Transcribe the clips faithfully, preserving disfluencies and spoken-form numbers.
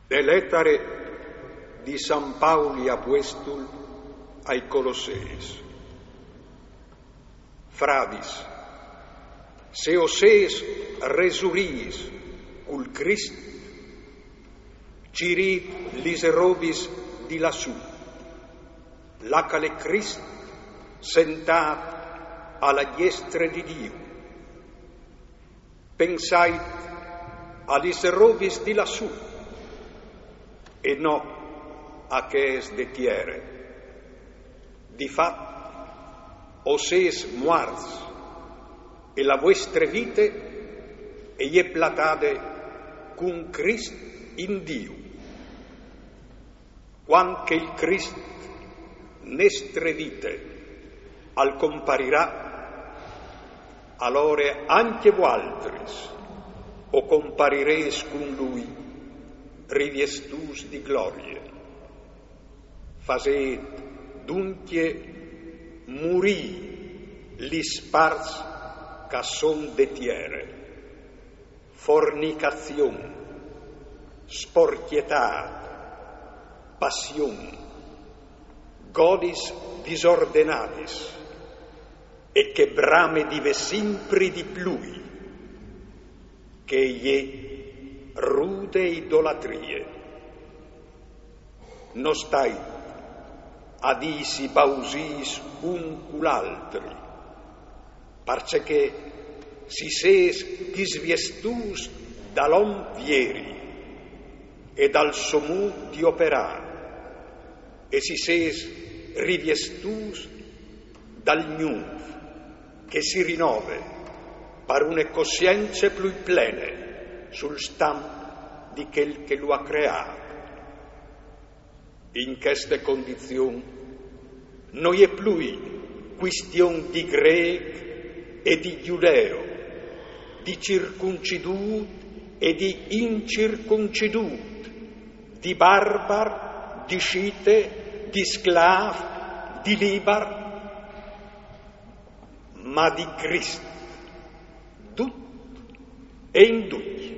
De letare di San Pauli apuestul ai Colosseis. Fradis, se o seis resurîts cul Crist, cirît lis robis di lassù, là che al è Crist sentât a la diestre di Diu. Pensait a lis robis di lassù e no a chês de tiere. Di fat, o seis muarts e la vuestre vite e je platade cun Crist in Diu. Cuant che il Crist nestre vite al comparirà, alore ancje vualtris o comparirês cun lui, riviestûts di glorie. Fasêt duncje murî lis parts che a son de tiere: fornicazion, sporcjetât, passion, godis disordenadis e chê brame di vê simpri di plui, che e je rude idolatrie. No stait a dîsi bausîs un cul altri, parcè che si seis disviestûts dal om vieri e dal so mût di operâ, e si seis riviestûts dal gnûf che si rinove par une cossience plui plene sul stamp di chel che lu à creât. In cheste condizion no je plui cuistion di grêc e di judeo, di circuncidût e di incircuncidût, di barbar, di scite, di sclâf, di libar, ma di Crist, dut e in ducj.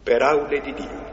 Peraule di Diu.